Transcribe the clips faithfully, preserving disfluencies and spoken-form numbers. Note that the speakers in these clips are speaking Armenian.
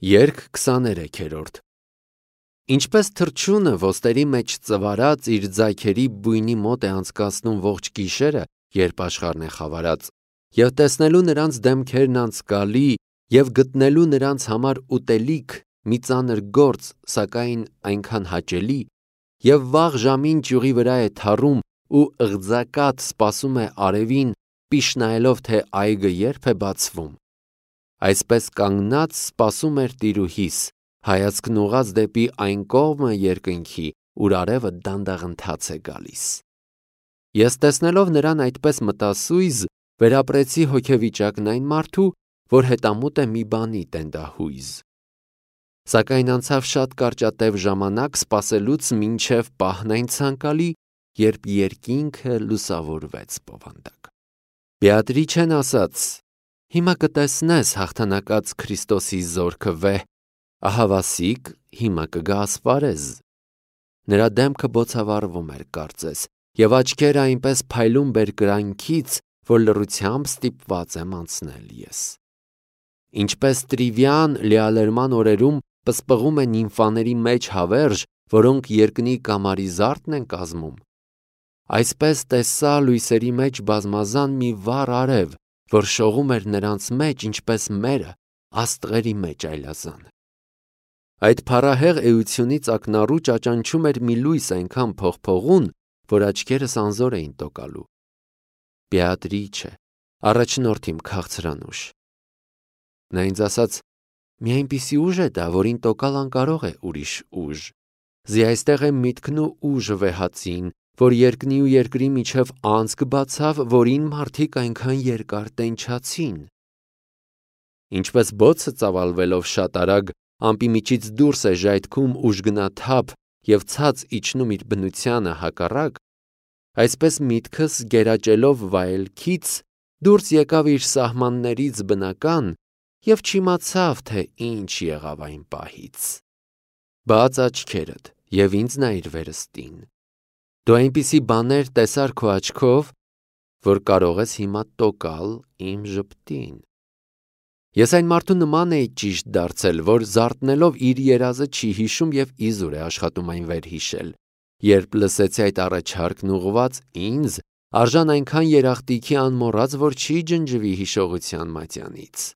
Երգ քսաներեքերորդ Ինչպես թռչյունը ոստերի մեջ ծվարած իր ձայքերի բույնի մոտ է անցկացնում ողջ գիշերը, երբ աշխարհն է խավարած, և տեսնելու նրանց դեմքերն անցկալի և գտնելու նրանց համար ուտելիք մի ծանր գործ, սակայն այնքան հաճելի, և վաղ ժամին ճյուղի վրա է թառում ու ըղձակատ սպասում է արևին, պիշ նայելով, թե այգը երբ է բացվում, այսպես կանգնած սպասում էր տիրուհիս, հայացքն ուղղած դեպի այն կողմը երկնքի, ուր արևը դանդաղ ընթաց է գալիս։ Ես տեսնելով նրան այդպես մտասույզ, վերապրեցի հոգեվիճակն այն մարդու, որ հետամուտ է մի բանի տենդահույզ։ Սակայն անցավ շատ կարճատև ժամանակ սպասելուց մինչև պահն այն ցանկալի, երբ երկինքը լուսավորվեց բովանդակ։ Բեատրիչեն ասաց. «Հիմա կտեսնես հաղթանակած Քրիստոսի զորքը վեհ, ահավասիկ, հիմա կգա ասպարեզ»։ Նրա դեմքը բոցավառվում էր կարծես, և աչքերը այնպես փայլում բերկրանքից, որ լռությամբ ստիպված եմ անցնել ես։ Ինչպես Տրիվիան լիալերման օրերում պսպղում է նիմֆաների մեջ հավերժ, որոնք երկնի կամարի զարդն են կազմում, այսպես տեսա լույսերի մեջ բազմազան մի վառ արև, որ շողում էր նրանց մեջ, ինչպես մերը աստղերի մեջ այլազան։ Այդ փառահեղ էությունից ակնառու ճաճանչում էր մի լույս այնքան փողփողուն, որ աչքերս անզոր էին տոկալու։ Բեատրիչե, առաջնորդ իմ քաղցրանուշ։ Նա ինձ ասաց. «Մի այնպիսի ուժ է դա, որին տոկալ անկարող է ուրիշ ուժ։ Զի այստեղ է միտքն ու ուժը վեհածին, որ երկնի ու երկրի միջև անցք բացավ, որին մարդիկ այնքան երկար տենչացին։ Ինչպես բոցը ծավալվելով շատ արագ ամպի միջից դուրս է ժայթքում ուժգնաթափ և ցած իջնում իր բնությանը հակառակ, այսպես միտքս գերաճելով վայելքից դուրս եկավ իր սահմաններից բնական և չիմացավ, թե ինչ եղավ այն պահից։ Բաց աչքերդ և ինձ նայիր վերստին։ Դու այնպիսի բաներ տեսար քո աչքով, որ կարող ես հիմա տոկալ իմ ժպտին։ Ես այն մարդու նման էի ճիշտ դարձել, որ զարթնելով իր երազը չի հիշում և իզուր է աշխատում այն վերհիշել, երբ լսեցի այդ առաջարկն ուղղված ինձ, արժան այնքան երախտիքի անմոռաց, որ չի ջնջվի հիշողության մատյանից։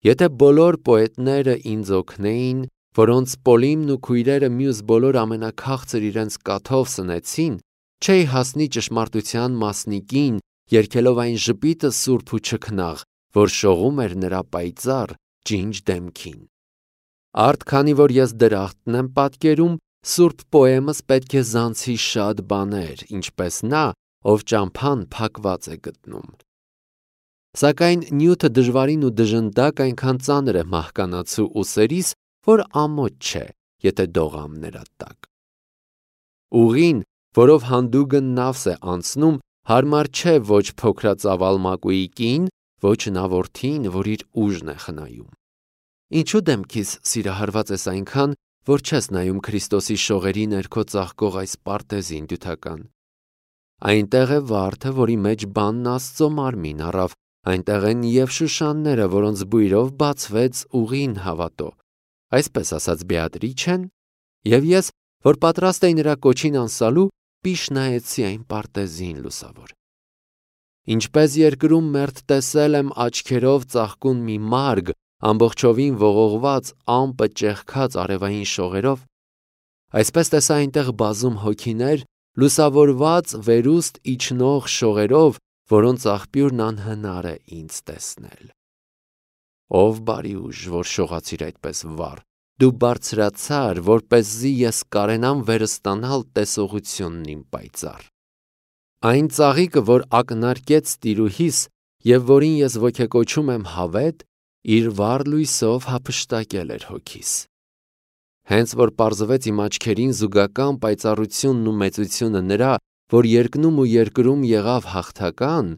Եթե բոլոր պոետները ինձ օգնեին, որոնց Պոլիմն ու քույրերը մյուս բոլոր ամենաքաղցր իրենց կաթով սնեցին, չէի հասնի ճշմարտության մասնիկին, երգելով այն ժպիտը սուրբ ու չքնաղ, որ շողում էր նրա պայծառ, ջինջ դեմքին։ Արդ քանի որ ես դրախտն եմ պատկերում, սուրբ պոեմս պետք է զանցի շատ բաներ, ինչպես նա, ով ճամփան փակված է գտնում։ Սակայն նյութը դժվարին ու դժնդակ այնքան ծանր է մահկանացու ուսերիս, որ ամոթ չէ, եթե դողամ նրա տակ։ Ուղին, որով հանդուգն նավս է անցնում, հարմար չէ ոչ փոքրածավալ մակուի կին, ոչ նա որդին, որ իր ուժն է խնայում։ Ինչու դեմքիս սիրահարված ես այնքան, որ չես նայում Քրիստոսի շողերի ներքո ծաղկող այս պարտեզին դյութական։ Այնտեղ է վարդը, որի մեջ բանն Աստծո մարմին առավ, այնտեղ են և շուշանները, որոնց բույրով բացվեց ուղին հավատո, այսպես ասաց Բեատրիչեն, և ես, որ պատրաստ էի նրա կոչին անսալու, պիշ նայեցի այն պարտեզին լուսավոր։ Ինչպես երկրում մերթ տեսել եմ աչքերով ծաղկուն մի մարգ, ամբողջովին ողողված, ամպը ճեղքած արևային շողերով, այսպես տեսա այնտեղ բազում հոգիներ, լուսավորված վերուստ իջնող շողերով, որոնց աղբյուրն անհնար է ինձ տեսնել։ Ով բարի ուժ, որ շողացիր այդպես վառ, դու բարձրացար, որպեսզի ես կարենամ վերստանալ տեսողությունն իմ պայծառ։ Այն ծաղիկը, որ ակնարկեց տիրուհիս և որին ես ոգեկոչում եմ հավետ, իր վառ լույսով հափշտակել էր հոգիս։ Հենց որ պարզվեց իմ աչքերին զուգական պայծառությունն ու մեծությունը նրա, որ երկնում ու երկրում եղավ հաղթական,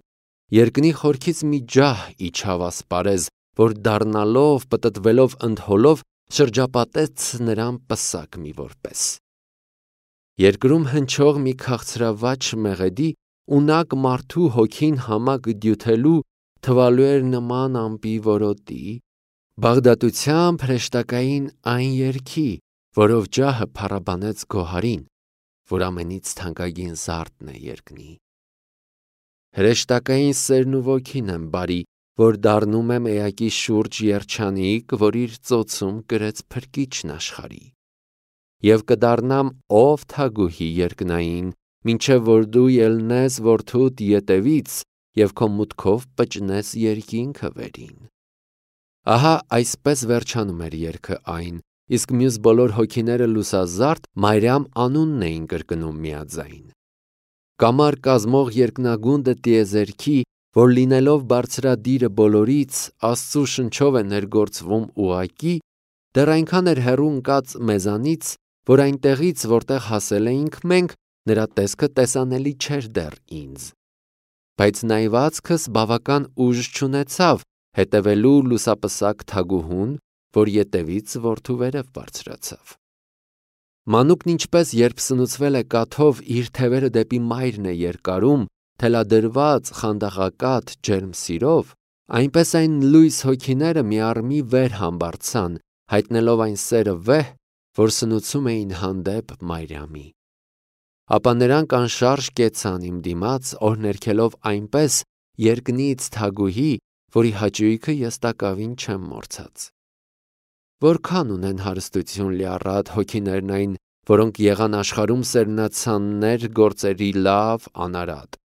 երկնի խորքից մի ջահ իջավ ասպարեզ, որ դառնալով, պտտվելով ընդհոլով, շրջապատեց նրան պսակ մի որպես։ Երկրում հնչող մի քաղցրավաճ մեղեդի, ունակ մարդու հոգին համակ դյութելու թվալու էր նման ամպի որոտի, Բաղդատությամբ հրեշտակային այն երգի, որով ջահը փառաբանեց գոհարին, որ ամենից թանկագին զարդն է երկնի։ Հրեշտակային սերն ու ոգին եմ բարի, որ դառնում եմ էակի շուրջ երջանիկ, որ իր ծոցում կրեց փրկիչն աշխարհի։ Եվ կդառնամ ով թագուհի երկնային, մինչև որ դու ելնես որդուդ ետևից և քո մուտքով պճնես երկինքը վերին։ Ահա այսպես վերջանում էր երգը այն, իսկ մյուս բոլոր հոգիները լուսազարդ Մարիամ անունն էին կրկնում միաձայն։ Կամար կազմող երկնագունդը տիեզերքի, որ լինելով բարձրադիրը բոլորից, Աստծու շնչով է ներգործվում ուղղակի, դեռ այնքան էր հեռու ընկած մեզանից, որ այնտեղից, որտեղ հասել էինք մենք, նրա տեսքը տեսանելի չէր դեռ ինձ։ Բայց նայվածքս բավական ուժ չունեցավ հետևելու լուսապսակ թագուհուն, որ ետևից որդու վերև բարձրացավ։ Մանուկն ինչպես երբ սնուցվել է կաթով, իր թևերը դեպի մայրն է երկարում, թելադրված խանդաղակատ ջերմ սիրով, այնպես այն լույս հոգիները միառմի վեր համբարձան, հայտնելով այն սերը վեհ, որ սնուցում էին հանդեպ Մարիամի։ Ապա նրանք անշարժ կեցան իմ դիմաց, օրհներգելով այնպես երկնից թագուհի, որի հաճույքը ես տակավին չեմ մոռացած։ Որքան ունեն հարստություն լիառատ հոգիներն այն, որոնք եղան աշխարհում սերմնացաններ գործերի լավ անարատ։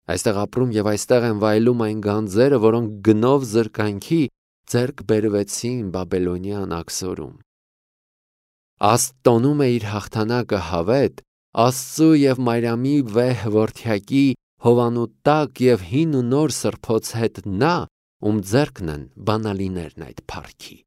Այստեղ ապրում և այստեղ են վայելում այն գանձերը, որոնք գնով զրկանքի ձեռք բերվեցին Բաբելոնյան աքսորում։ Աստ տոնում է իր հաղթանակը հավետ, Աստծու և Մարիամի վեհ որդյակի հովանու տակ և հին ու նոր սրբոց հետ նա, ում ձեռքն են բանալիներն այդ փառքի։